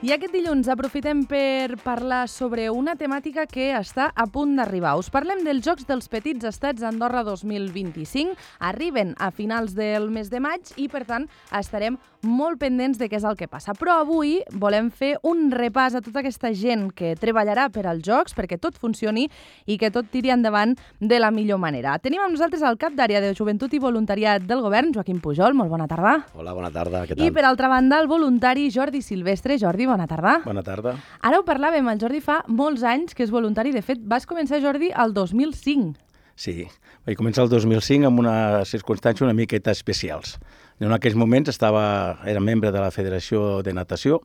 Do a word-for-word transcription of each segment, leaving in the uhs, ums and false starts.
I aquest dilluns aprofitem per parlar sobre una temàtica que està a punt d'arribar. Us parlem dels Jocs dels Petits Estats Andorra dos mil vint-i-cinc. Arriben a finals del mes de maig i, per tant, estarem molt pendents de què és el que passa. Però avui volem fer un repàs a tota aquesta gent que treballarà per als Jocs perquè tot funcioni i que tot tiri endavant de la millor manera. Tenim amb nosaltres el cap d'àrea de Joventut i Voluntariat del Govern, Joaquim Pujol. Molt bona tarda. Hola, bona tarda. Què tal? I, per altra banda, el voluntari Jordi Silvestre. Jordi, bona tarda. Bona tarda. Ara ho parlàvem, el Jordi fa molts anys que és voluntari. De fet, vas començar, Jordi, el dos mil cinc. Sí, vaig començar el dos mil cinc amb unes circumstàncies una miqueta especials. En aquells moments estava, era membre de la Federació de Natació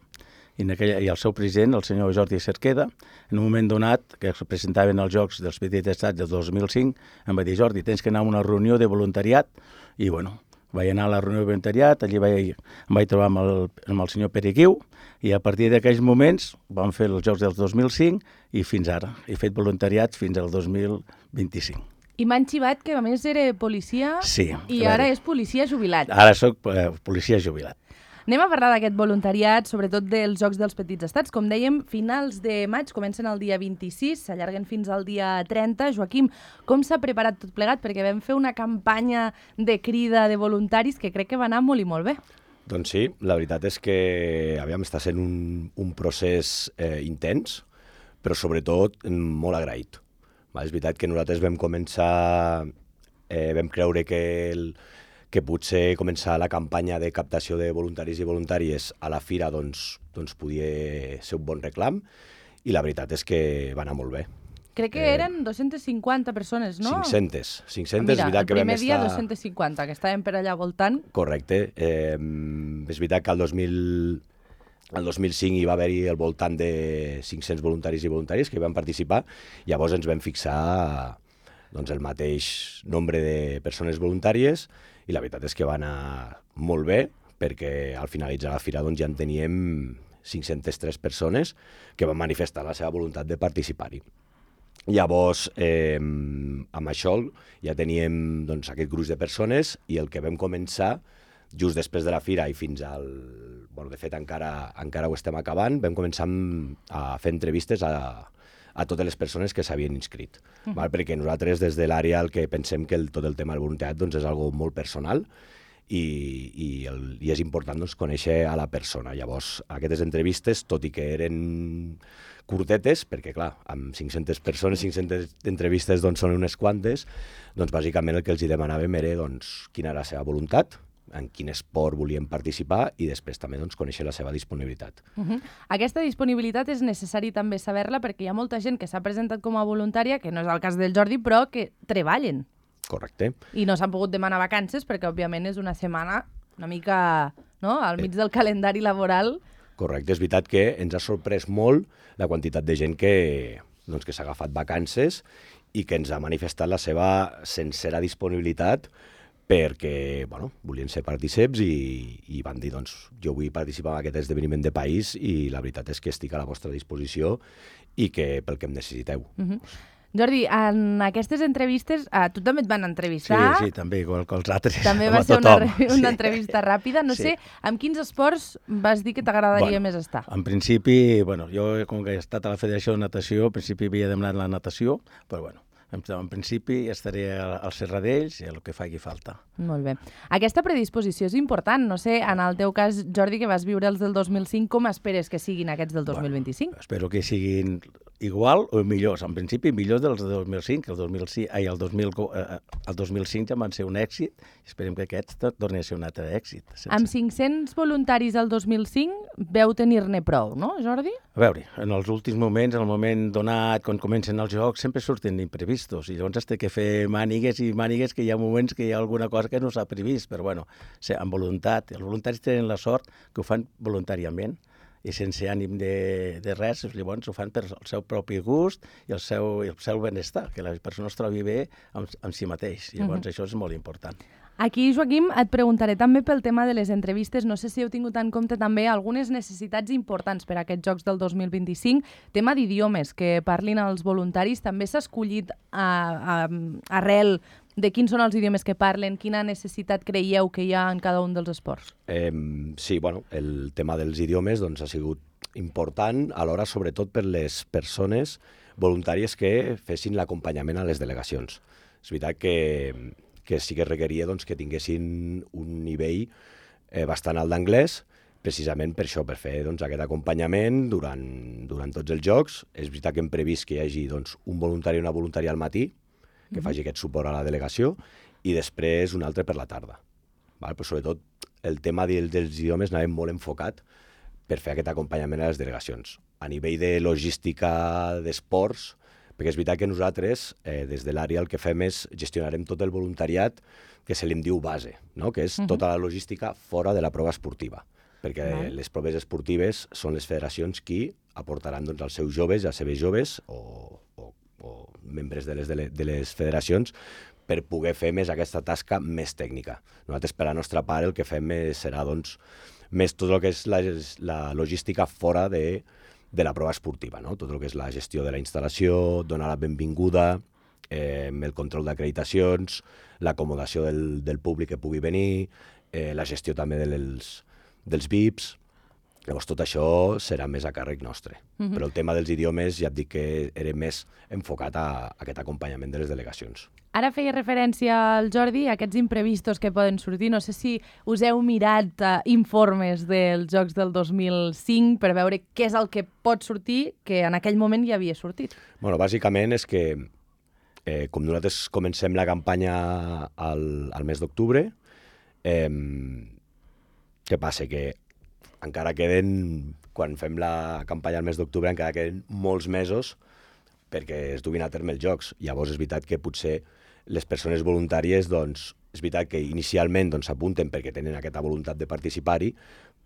i, en aquella, i el seu president, el senyor Jordi Cerqueda, en un moment donat, que es presentaven els Jocs dels Petits Estats del dos mil cinc, em va dir: Jordi, tens que anar a una reunió de voluntariat. I, bueno, vaig anar a la reunió de voluntariat, allí vaig, em vaig trobar amb el, amb el senyor Pereguiu, i a partir d'aquells moments vam fer els Jocs del dos mil cinc i fins ara. He fet voluntariat fins al dos mil vint-i-cinc. I m'han xivat que a més era policia sí, i ara és policia jubilat. Ara soc eh, policia jubilat. Anem a parlar d'aquest voluntariat, sobretot dels Jocs dels Petits Estats. Com dèiem, finals de maig, comencen el dia vint-i-sis, s'allarguen fins al dia trenta. Joaquim, com s'ha preparat tot plegat? Perquè vam fer una campanya de crida de voluntaris que crec que va anar molt i molt bé. Doncs sí, la veritat és que aviam, està sent un, un procés eh, intens, però sobretot molt agraït. Va, és veritat que nosaltres vam començar, eh, vam creure que, el, que potser començar la campanya de captació de voluntaris i voluntàries a la fira doncs, doncs podia ser un bon reclam, i la veritat és que va anar molt bé. Crec que eren dos-centes cinquanta persones, no? cinc-centes. cinc-centes, Mira, és veritat el que vam primer dia estar... dos-centes cinquanta, que estàvem per allà voltant. Correcte. Eh, és veritat que el dos mil... El dos mil cinc hi va haver-hi al voltant de cinc-cents voluntaris i voluntàries que hi van participar. Llavors ens vam fixar doncs, el mateix nombre de persones voluntàries i la veritat és que va anar molt bé perquè al finalitzar la fira doncs, ja en teníem cinc-centes tres persones que van manifestar la seva voluntat de participar-hi. Llavors, eh, amb això ja teníem doncs, aquest gruix de persones i el que vam començar just després de la fira i fins al... Bueno, de fet, encara, encara ho estem acabant, vam començar a fer entrevistes a, a totes les persones que s'havien inscrit. Uh-huh. Val? Perquè nosaltres, des de l'àrea, el que pensem que el, tot el tema del voluntariat doncs, és algo molt personal i, i, el, i és important doncs, conèixer a la persona. Llavors, aquestes entrevistes, tot i que eren curtetes, perquè, clar, amb cinc-centes persones, cinc-centes entrevistes doncs, són unes quantes, doncs, bàsicament el que els demanàvem era doncs, quina era la seva voluntat, en quin esport volien participar i després també doncs, conèixer la seva disponibilitat. Uh-huh. Aquesta disponibilitat és necessari també saber-la perquè hi ha molta gent que s'ha presentat com a voluntària, que no és el cas del Jordi, però que treballen. Correcte. I no s'han pogut demanar vacances perquè, òbviament, és una setmana una mica no? al mig del calendari laboral. Correcte. És veritat que ens ha sorprès molt la quantitat de gent que, doncs, que s'ha agafat vacances i que ens ha manifestat la seva sincera disponibilitat perquè bueno, volien ser partíceps i, i van dir, doncs, jo vull participar en aquest esdeveniment de país i la veritat és que estic a la vostra disposició i que pel que em necessiteu. Uh-huh. Jordi, en aquestes entrevistes, a tu també et van entrevistar. Sí, sí, també, igual que els altres. També va ser una, una entrevista ràpida. No sí. sé, amb quins esports vas dir que t'agradaria bueno, més estar? En principi, bueno, jo com que he estat a la Federació de Natació, en principi havia demanat la natació, però bueno, en, en principi estaré al Serradells i el que faci falta. Molt bé. Aquesta predisposició és important. No sé, en el teu cas, Jordi, que vas viure els del dos mil cinc, com esperes que siguin aquests del dos mil vint-i-cinc? Bueno, espero que siguin igual o millors. En principi, millors dels del dos mil cinc. El dos mil cinc, ai, el, dos mil, eh, el dos mil cinc ja van ser un èxit. Esperem que aquest torni a ser un altre èxit. Sense... Amb cinc-cents voluntaris el dos mil cinc veu tenir-ne prou, no, Jordi? A veure, en els últims moments, en el moment donat, quan comencen els jocs, sempre surten imprevistos i llavors has de fer mànigues i mànigues que hi ha moments que hi ha alguna cosa que no s'ha previst, però bueno, amb voluntat. Els voluntaris tenen la sort que ho fan voluntàriament i sense ànim de, de res, llavors ho fan per el seu propi gust i el seu, el seu benestar, que la persona es trobi bé amb, amb si mateix. Llavors uh-huh. això és molt important. Aquí, Joaquim, et preguntaré també pel tema de les entrevistes. No sé si heu tingut en compte també algunes necessitats importants per a aquests Jocs del dos mil vint-i-cinc. Tema d'idiomes, que parlin els voluntaris. També s'ha escollit a, a, arrel de quins són els idiomes que parlen, quina necessitat creieu que hi ha en cada un dels esports? Eh, sí, bueno, el tema dels idiomes doncs, ha sigut important, alhora sobretot per les persones voluntàries que fessin l'acompanyament a les delegacions. És veritat que, que sí que requeria doncs, que tinguessin un nivell eh, bastant alt d'anglès, precisament per això, per fer doncs, aquest acompanyament durant, durant tots els jocs. És veritat que hem previst que hi hagi doncs, un voluntari i una voluntària al matí, que mm-hmm. faci aquest suport a la delegació, i després un altre per la tarda. Val? Però sobretot el tema dels idiomes anàvem molt enfocat per fer aquest acompanyament a les delegacions. A nivell de logística d'esports, perquè és veritat que nosaltres, eh, des de l'àrea, el que fem és gestionarem tot el voluntariat que se li diu base, no? Que és uh-huh. tota la logística fora de la prova esportiva, perquè uh-huh. les proves esportives són les federacions qui aportaran doncs, als seus joves i als seves joves o, o, o membres de les, de les, de les federacions per poder fer més aquesta tasca més tècnica. Nosaltres, per la nostra part, el que fem és, serà doncs, més tot el que és la, la logística fora de, de la prova esportiva, no? Tot el que és la gestió de la instal·lació, donar la benvinguda, eh, el control d'acreditacions, l'acomodació del, del públic que pugui venir, eh, la gestió també dels, dels V I Ps. Llavors tot això serà més a càrrec nostre. Mm-hmm. Però el tema dels idiomes ja et dic que era més enfocat a, a aquest acompanyament de les delegacions. Ara feia referència al Jordi a aquests imprevistos que poden sortir. No sé si us heu mirat uh, informes dels Jocs del dos mil cinc per veure què és el que pot sortir que en aquell moment ja havia sortit. Bueno, bàsicament és que eh, com nosaltres comencem la campanya al, al mes d'octubre, eh, què passa? Que encara queden, quan fem la campanya al mes d'octubre, encara queden molts mesos perquè es duguin a terme els jocs. Llavors és veritat que potser les persones voluntàries, doncs, és veritat que inicialment s'apunten doncs, perquè tenen aquesta voluntat de participar-hi,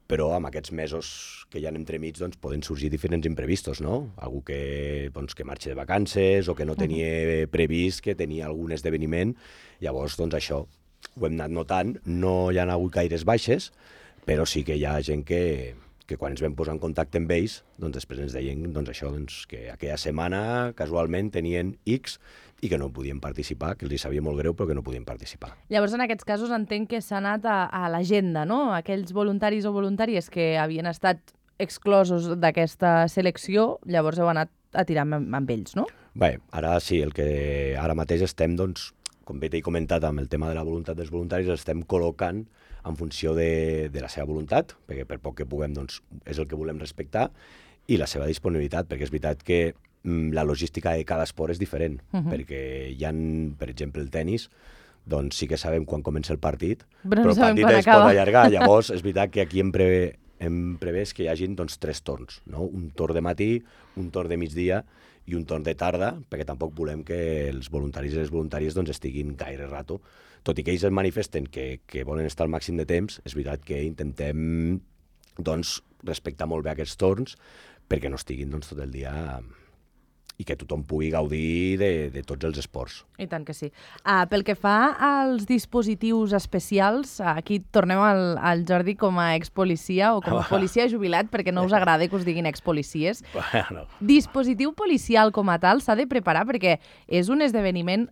però amb aquests mesos que hi ha entremig doncs, poden sorgir diferents imprevistos, no? Algú que, doncs, que marxa de vacances o que no tenia previst que tenia algun esdeveniment. Llavors, doncs, això ho hem anat notant. No hi ha hagut gaires baixes, però sí que hi ha gent que, que quan ens vam posar en contacte amb ells, doncs després ens deien doncs això, doncs, que aquella setmana casualment tenien X i que no podien participar, que els hi sabia molt greu, però que no podien participar. Llavors, en aquests casos, entenc que s'ha anat a, a l'agenda, no? Aquells voluntaris o voluntàries que havien estat exclosos d'aquesta selecció, llavors heu anat a tirar amb, amb ells, no? Bé, ara sí, el que ara mateix estem, doncs, com bé t'he comentat, amb el tema de la voluntat dels voluntaris, estem col·locant en funció de, de la seva voluntat, perquè per poc que puguem, doncs, és el que volem respectar, i la seva disponibilitat, perquè és veritat que mm, la logística de cada esport és diferent, uh-huh. perquè hi ha, per exemple, el tennis, doncs sí que sabem quan comença el partit, però, però no el partit es acaba. pot allargar. Llavors, és veritat que aquí hem, prevé, hem prevès que hi hagin doncs, tres torns, no? Un torn de matí, un torn de migdia i un torn de tarda, perquè tampoc volem que els voluntaris i les voluntàries doncs, estiguin gaire rato. Tot i que ells es manifesten que, que volen estar al màxim de temps, és veritat que intentem doncs, respectar molt bé aquests torns perquè no estiguin doncs, tot el dia i que tothom pugui gaudir de, de tots els esports. I tant que sí. Uh, pel que fa als dispositius especials, aquí tornem al, al Jordi com a expolicia o com a policia jubilat, perquè no us agrada que us diguin expolicies. Bueno. Dispositiu policial com a tal s'ha de preparar perquè és un esdeveniment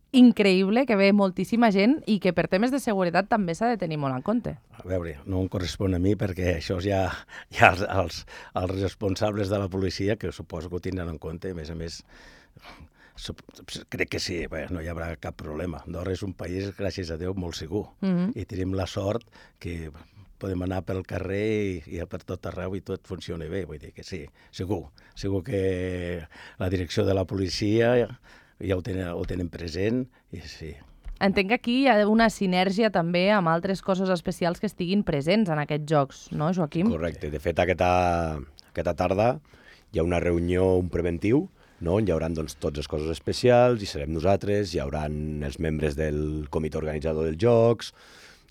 increïble que ve moltíssima gent i que per temes de seguretat també s'ha de tenir molt en compte. A veure, no em correspon a mi perquè això ja hi ha els, els responsables de la policia que suposo que ho tindran en compte. A més a més, crec que sí, bé, no hi haurà cap problema. Andorra és un país, gràcies a Déu, molt segur. Mm-hmm. I tenim la sort que podem anar pel carrer i, i per tot arreu i tot funciona bé. Vull dir que sí, segur. Segur que la direcció de la policia ja ho tenen, ho tenen present i sí. Entenc que aquí hi ha una sinergia també amb altres coses especials que estiguin presents en aquests jocs, no, Joaquim? Correcte. De fet, aquesta, aquesta tarda hi ha una reunió, un preventiu, no? On hi haurà doncs, tots els cossos especials, hi serem nosaltres, hi haurà els membres del comitè organitzador dels jocs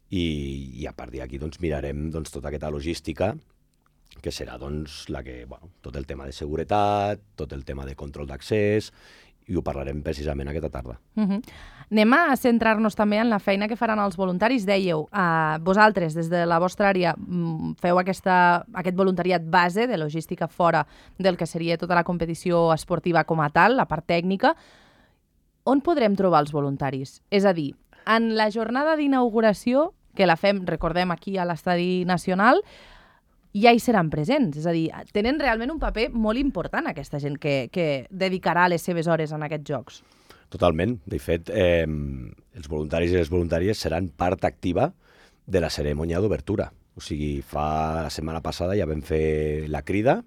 i, i a partir d'aquí doncs, mirarem doncs, tota aquesta logística que serà doncs, la que, bueno, tot el tema de seguretat, tot el tema de control d'accés, i ho parlarem precisament aquesta tarda. Uh-huh. Anem a centrar-nos també en la feina que faran els voluntaris. Dèieu, uh, vosaltres, des de la vostra àrea, feu aquesta, aquest voluntariat base de logística fora del que seria tota la competició esportiva com a tal, la part tècnica. On podrem trobar els voluntaris? És a dir, en la jornada d'inauguració, que la fem, recordem, aquí a l'Estadi Nacional, ja hi seran presents. És a dir, tenen realment un paper molt important aquesta gent que, que dedicarà les seves hores en aquests jocs. Totalment. De fet, eh, els voluntaris i les voluntàries seran part activa de la cerimònia d'obertura. O sigui, fa la setmana passada ja vam fer la crida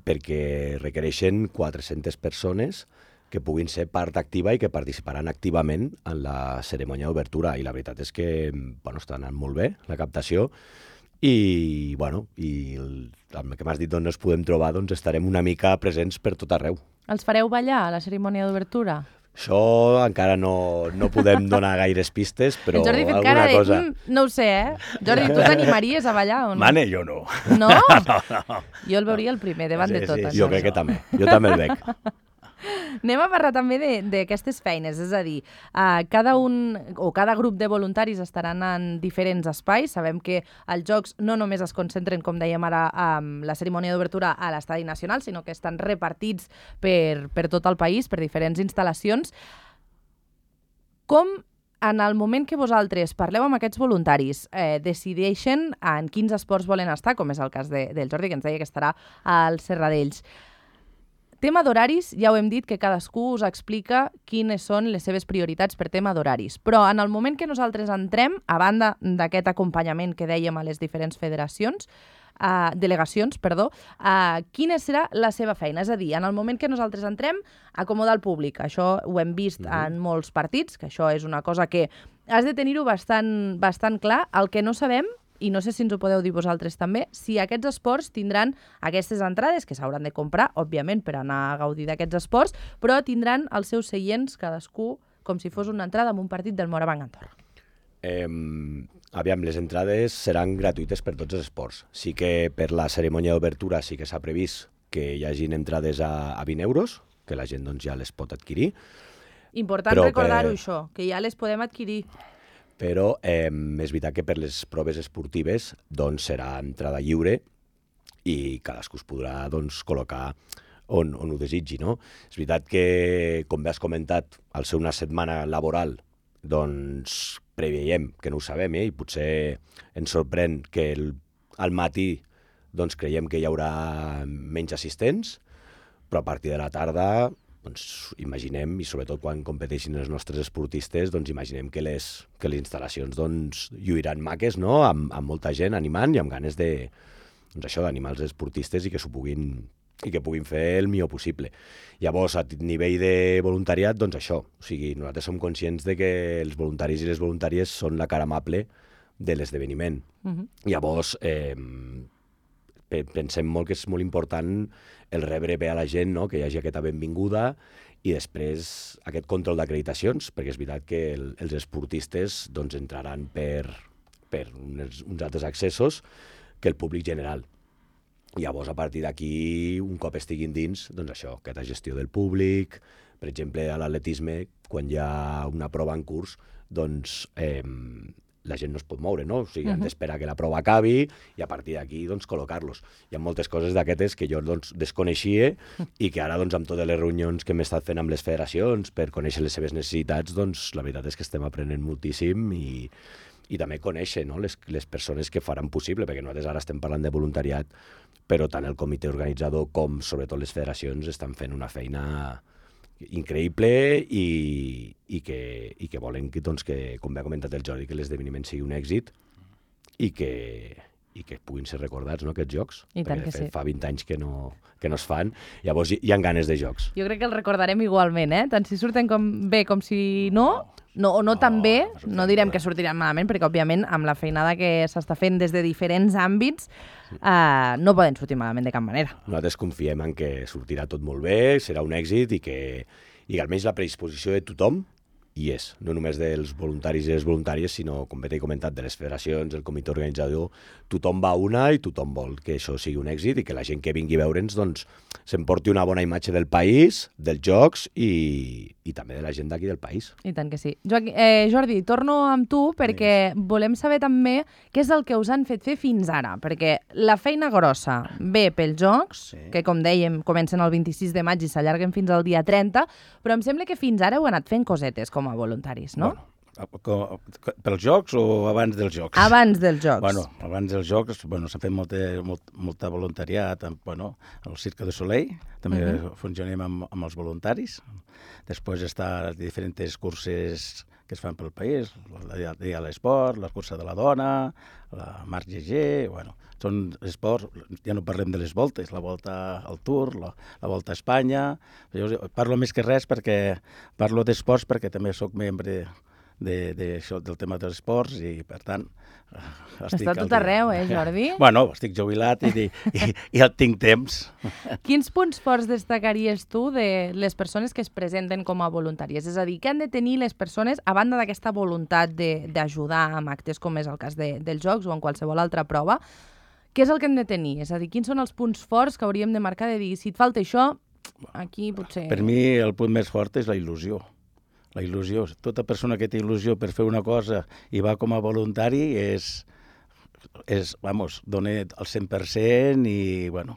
perquè requereixen quatre-centes persones que puguin ser part activa i que participaran activament en la cerimònia d'obertura. I la veritat és que bueno, està anant molt bé la captació i, bueno, i el, el que m'has dit on ens podem trobar, doncs estarem una mica presents per tot arreu. Els fareu ballar a la cerimònia d'obertura? Això encara no, no podem donar gaires pistes, però el Jordi ha fet alguna cara de, cosa... Mm, no ho sé, eh? Jordi, tu t'animaries a ballar o no? Mane, jo no. No? no, no. Jo el veuria el primer, davant Sí, de tot. sí, això. Jo crec que també. Jo també el veig. Anem a parlar també d'aquestes feines, és a dir, uh, cada un o cada grup de voluntaris estaran en diferents espais. Sabem que els jocs no només es concentren, com dèiem ara, amb la cerimònia d'obertura a l'Estadi Nacional, sinó que estan repartits per, per tot el país, per diferents instal·lacions. Com en el moment que vosaltres parleu amb aquests voluntaris, eh, decideixen en quins esports volen estar, com és el cas de, del Jordi, que ens deia que estarà al Serradells. Tema d'horaris, ja ho hem dit, que cadascú us explica quines són les seves prioritats per tema d'horaris. Però en el moment que nosaltres entrem, a banda d'aquest acompanyament que dèiem a les diferents federacions, uh, delegacions, perdó, uh, quina serà la seva feina? És a dir, en el moment que nosaltres entrem, acomodar el públic. Això ho hem vist mm-hmm. en molts partits, que això és una cosa que has de tenir-ho bastant, bastant clar. El que no sabem, i no sé si ens ho podeu dir vosaltres també, si aquests esports tindran aquestes entrades, que s'hauran de comprar, òbviament, per anar a gaudir d'aquests esports, però tindran els seus seients, cadascú, com si fos una entrada en un partit del Morabanc Andorra. Eh, aviam, les entrades seran gratuïtes per tots els esports. Sí que per la cerimònia d'obertura sí que s'ha previst que hi hagin entrades a, a vint euros, que la gent doncs, ja les pot adquirir. Important recordar-ho, per... això, que ja les podem adquirir. Però eh, és veritat que per les proves esportives doncs, serà entrada lliure i cadascú es podrà doncs, col·locar on, on ho desitgi. No? És veritat que, com bé has comentat, al ser una setmana laboral, doncs preveiem, que no ho sabem, eh? I potser ens sorprèn que el, al matí doncs, creiem que hi haurà menys assistents, però a partir de la tarda... doncs imaginem, i sobretot quan competeixin els nostres esportistes, doncs imaginem que les, que les instal·lacions doncs, lluiran maques, no? amb, amb molta gent animant i amb ganes de, doncs això, d'animar els esportistes i que s'ho puguin, i que puguin fer el millor possible. Llavors, a nivell de voluntariat, doncs això, o sigui, nosaltres som conscients de que els voluntaris i les voluntàries són la cara amable de l'esdeveniment. Uh-huh. Llavors, eh, pensem molt que és molt important el rebre bé a la gent, no? Que hi hagi aquesta benvinguda i després aquest control d'acreditacions, perquè és veritat que el, els esportistes doncs, entraran per, per uns, uns altres accessos que el públic general. Llavors, a partir d'aquí, un cop estiguin dins, doncs això, aquesta gestió del públic, per exemple, a l'atletisme, quan hi ha una prova en curs, doncs... Eh, la gent no es pot moure, no? O sigui, uh-huh. han d'esperar que la prova acabi i a partir d'aquí, doncs, col·locar-los. Hi ha moltes coses d'aquestes que jo, doncs, desconeixia i que ara, doncs, amb totes les reunions que hem estat fent amb les federacions per conèixer les seves necessitats, doncs, la veritat és que estem aprenent moltíssim i, i també conèixer, no? les, les persones que faran possible, perquè nosaltres ara estem parlant de voluntariat, però tant el comitè organitzador com, sobretot, les federacions estan fent una feina increïble i, i, que, i que volen que, doncs, que, com bé ha comentat el Jordi, que l'esdeveniment sigui un èxit i que, i que puguin ser recordats, no, aquests jocs. I tant perquè, que de fet, sí. fa vint anys que no, que no es fan, llavors hi, hi ha ganes de jocs. Jo crec que el recordarem igualment, eh? Tant si surten com bé com si no, no o no, no tan bé, no direm que sortiran malament, perquè, òbviament, amb la feinada que s'està fent des de diferents àmbits, Uh, no poden sortir malament de cap manera. Nosaltres confiem en que sortirà tot molt bé, serà un èxit i que, i que almenys la predisposició de tothom hi és, no només dels voluntaris i les voluntàries, sinó, com bé t'he comentat, de les federacions, el comitè organitzador, tothom va a una i tothom vol que això sigui un èxit i que la gent que vingui a veure'ns doncs, s'emporti una bona imatge del país, dels jocs i, i també de la gent d'aquí del país. I tant que sí. Joaquim, eh, Jordi, torno amb tu perquè sí. volem saber també què és el que us han fet fer fins ara, perquè la feina grossa ve pels jocs, sí. que com dèiem comencen el vint-i-sis de maig i s'allarguen fins al dia trenta, però em sembla que fins ara heu anat fent cosetes com a voluntaris, no? Bueno, Pels jocs o abans dels jocs? Abans dels jocs. Bueno, abans dels jocs bueno, s'ha fet molta, molt, molta voluntariat amb, bueno, al Cirque du Soleil, també uh -huh. funcionem amb, amb els voluntaris. Després està diferents curses que es fan pel país, el dia de l'esport, la cursa de la dona, la Marc G G, bueno, són esports, ja no parlem de les voltes, la volta al Tour, la, la volta a Espanya. Jo parlo més que res perquè parlo d'esports perquè també sóc membre de, de això, del tema dels esports i, per tant, estic... Està tot arreu, eh, Jordi? Bueno, estic jubilat i, i, i ja tinc temps. Quins punts forts destacaries tu de les persones que es presenten com a voluntàries? És a dir, què han de tenir les persones, a banda d'aquesta voluntat d'ajudar amb actes com és el cas de, dels jocs o en qualsevol altra prova, què és el que hem de tenir? És a dir, quins són els punts forts que hauríem de marcar de dir, si et falta això, aquí potser... Per mi el punt més fort és la il·lusió. La il·lusió. Tota persona que té il·lusió per fer una cosa i va com a voluntari és, és vamos, dona el cent per cent i, bueno,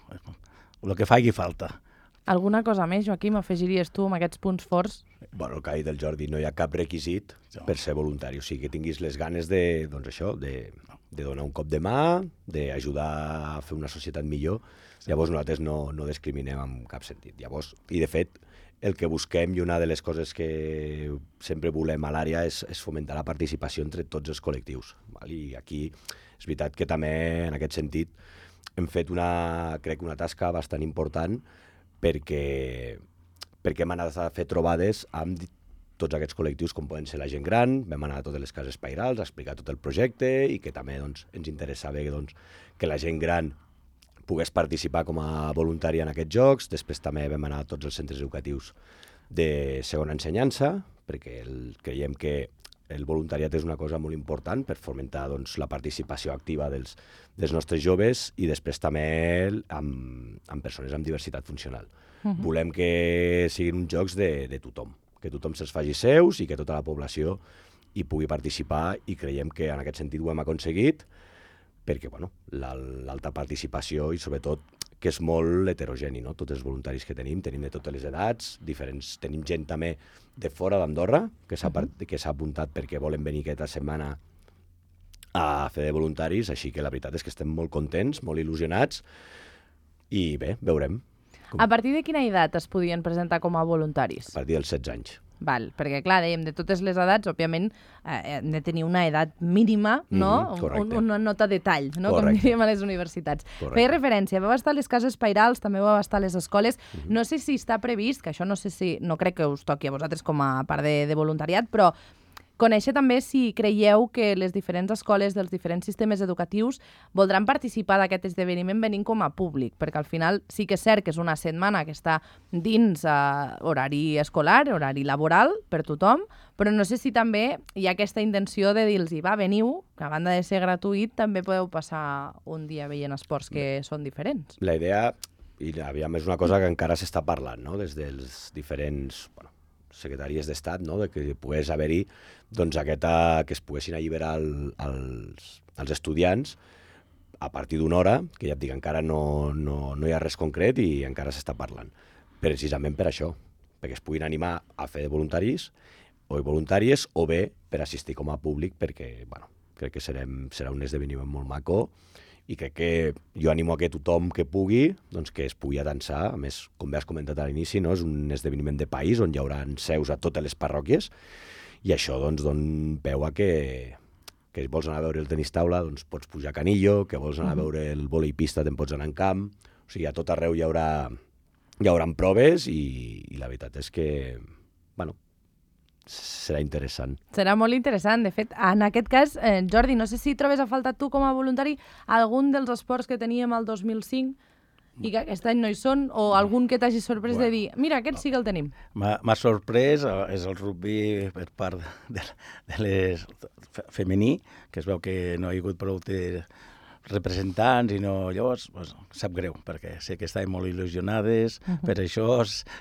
el que faci falta. Alguna cosa més, Joaquim, afegiries tu amb aquests punts forts? Bueno, el que ha dit el Jordi, no hi ha cap requisit per ser voluntari. O sigui, que tinguis les ganes de, doncs això, de, de donar un cop de mà, d'ajudar a fer una societat millor. Llavors nosaltres no, no discriminem en cap sentit. Llavors, i de fet, el que busquem i una de les coses que sempre volem a l'àrea és, és fomentar la participació entre tots els col·lectius. Val? I aquí és veritat que també en aquest sentit hem fet una, crec, una tasca bastant important perquè, perquè hem anat a fer trobades amb tots aquests col·lectius com poden ser la gent gran, vam anar a totes les cases pairals a explicar tot el projecte i que també doncs, ens interessava doncs, que la gent gran pogués participar com a voluntària en aquests jocs. Després també vam anar a tots els centres educatius de segona ensenyança, perquè el, creiem que el voluntariat és una cosa molt important per fomentar doncs, la participació activa dels, dels nostres joves i després també amb, amb persones amb diversitat funcional. Uh-huh. Volem que siguin uns jocs de, de tothom, que tothom se'ls faci seus i que tota la població hi pugui participar i creiem que en aquest sentit ho hem aconseguit perquè bueno, l'alta participació i sobretot que és molt heterogeni, no? Tots els voluntaris que tenim, tenim de totes les edats, diferents, tenim gent també de fora d'Andorra que s'ha uh-huh. que s'ha apuntat perquè volen venir aquesta setmana a fer de voluntaris, així que la veritat és que estem molt contents, molt il·lusionats i bé, veurem. Com... A partir de quina edat es podien presentar com a voluntaris? A partir dels setze anys. Val, perquè clar, dèiem, de totes les edats, òbviament, eh, hem de tenir una edat mínima, no? Mm-hmm, Un, una nota de tall, no? Correcte. Com diríem a les universitats. Correcte. Feia referència, vau estar a les cases pairals, també vau estar a les escoles. Mm-hmm. No sé si està previst, que això no sé si, no crec que us toqui a vosaltres com a part de, de voluntariat, però conèixer també si creieu que les diferents escoles dels diferents sistemes educatius voldran participar d'aquest esdeveniment venint com a públic, perquè al final sí que és cert que és una setmana que està dins uh, horari escolar, horari laboral per tothom, però no sé si també hi ha aquesta intenció de dir-los va, veniu, que a banda de ser gratuït també podeu passar un dia veient esports que són diferents. La idea, i aviam, és una cosa que encara s'està parlant, no?, des dels diferents... Bueno, secretaries d'Estat, no?, de que pogués haver-hi doncs, aquesta, que es poguessin alliberar el, els, els estudiants a partir d'una hora, que ja et dic, encara no, no, no hi ha res concret i encara s'està parlant. Precisament per això, perquè es puguin animar a fer de voluntaris o voluntàries o bé per assistir com a públic, perquè bueno, crec que serem, serà un esdeveniment molt maco i crec que jo animo a que tothom que pugui, doncs que es pugui atansar. A més, com bé has comentat a l'inici, no? És un esdeveniment de país on hi haurà seus a totes les parròquies i això doncs, dona peu a que, que si vols anar a veure el tenis taula, doncs pots pujar a Canillo, que vols anar a veure el vòlei pista, te'n pots anar en camp. O sigui, a tot arreu hi haurà, hi haurà proves i, i la veritat és que, bueno, serà interessant. Serà molt interessant. De fet, en aquest cas, eh, Jordi, no sé si trobes a falta tu com a voluntari algun dels esports que teníem el dos mil cinc i que aquest any no hi són, o algun que t'hagi sorprès bueno, de dir, mira, aquest sí que el tenim. M'ha sorprès, és el rugby per part de, de les femení, que es veu que no hi ha hagut prou representants i no, llavors pues, sap greu, perquè sé que estaven molt il·lusionades uh-huh. per això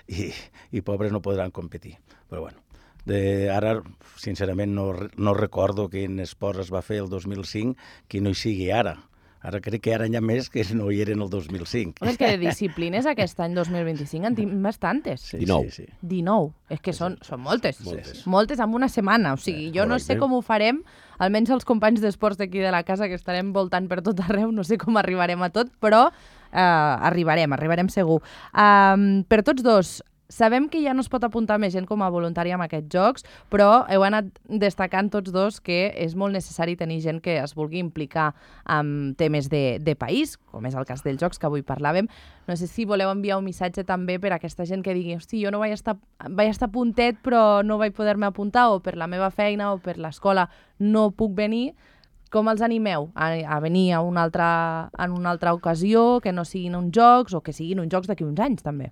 i, i pobres no podran competir. Però bueno, de, ara, sincerament, no, no recordo quin esport es va fer el dos mil cinc que no hi sigui ara. Ara crec que ara hi ha més que no hi eren el dos mil cinc. És que de disciplines aquest any dos mil vint-i-cinc en tinc bastantes. Sí, dinou. Sí, sí. dinou. És que són, són moltes. Moltes. Moltes en una setmana. O sigui, jo no sé correcte. com ho farem, almenys els companys d'esports d'aquí de la casa, que estarem voltant per tot arreu, no sé com arribarem a tot, però eh, arribarem, arribarem segur. Um, per tots dos, sabem que ja no es pot apuntar més gent com a voluntària en aquests jocs, però heu anat destacant tots dos que és molt necessari tenir gent que es vulgui implicar en temes de, de país, com és el cas dels jocs que avui parlàvem. No sé si voleu enviar un missatge també per a aquesta gent que digui hosti, jo no vaig estar, vaig estar puntet però no vaig poder-me apuntar, o per la meva feina o per l'escola no puc venir. Com els animeu a, a venir a una altra, en una altra ocasió, que no siguin uns jocs o que siguin uns jocs d'aquí uns anys també?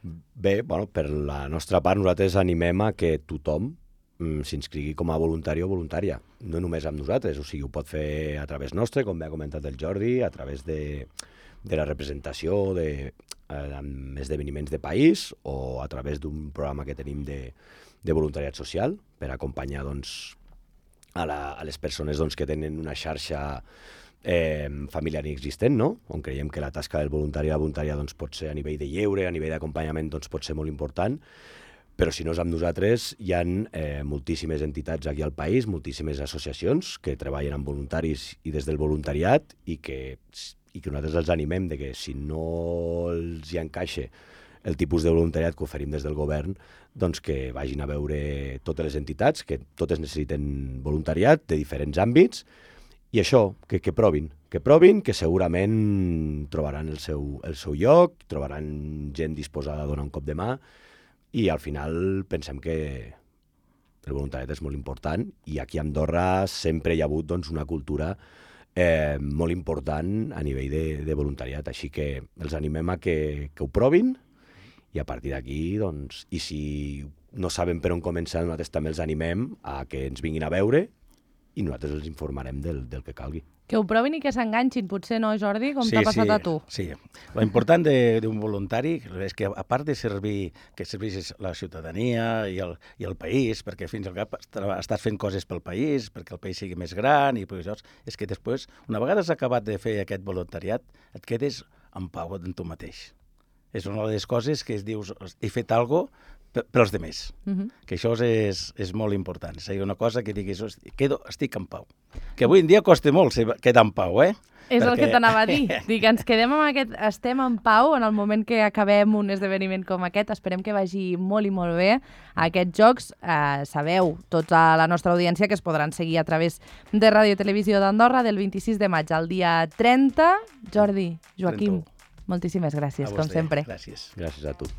Bé, bueno, per la nostra part nosaltres animem a que tothom mm, s'inscrigui com a voluntari o voluntària, no només amb nosaltres, o sigui, ho pot fer a través nostre, com bé ha comentat el Jordi, a través de, de la representació de, eh, amb esdeveniments de país o a través d'un programa que tenim de, de voluntariat social per acompanyar doncs, a, la, a les persones doncs, que tenen una xarxa Eh, familiar inexistent, no? On creiem que la tasca del voluntari o la voluntària doncs, pot ser a nivell de lleure, a nivell d'acompanyament doncs, pot ser molt important, però si no és amb nosaltres hi ha eh, moltíssimes entitats aquí al país, moltíssimes associacions que treballen amb voluntaris i des del voluntariat i que, i que nosaltres els animem de que si no els hi encaixa el tipus de voluntariat que oferim des del govern, doncs que vagin a veure totes les entitats, que totes necessiten voluntariat de diferents àmbits. I això, que, que provin, que provin, que segurament trobaran el seu, el seu lloc, trobaran gent disposada a donar un cop de mà i al final pensem que el voluntariat és molt important i aquí a Andorra sempre hi ha hagut doncs, una cultura eh, molt important a nivell de, de voluntariat, així que els animem a que, que ho provin i a partir d'aquí, doncs, i si no saben per on començar, nosaltres també els animem a que ens vinguin a veure i nosaltres els informarem del, del que calgui. Que ho provin i que s'enganxin, potser no, Jordi, com sí, t'ha passat sí, a tu? Sí, l'important d'un voluntari és que, a part de servir, que serveixis la ciutadania i el, i el país, perquè fins al cap estàs fent coses pel país, perquè el país sigui més gran, i això, és que després, una vegada has acabat de fer aquest voluntariat, et quedes en pau en tu mateix. És una de les coses que es dius, he fet alguna cosa per als demés. Uh-huh. Que això és, és molt important. És una cosa que diguis, quedo, estic en pau. Que avui en dia costa molt quedar en pau, eh? És Perquè... el que t'anava a dir. Dic, ens quedem amb aquest, estem en pau en el moment que acabem un esdeveniment com aquest. Esperem que vagi molt i molt bé a aquests jocs. Eh, sabeu, tota la nostra audiència, que es podran seguir a través de Ràdio i Televisió d'Andorra del vint-i-sis de maig al dia trenta. Jordi, Joaquim, trenta-u. Moltíssimes gràcies, com sempre. Gràcies. Gràcies a tu.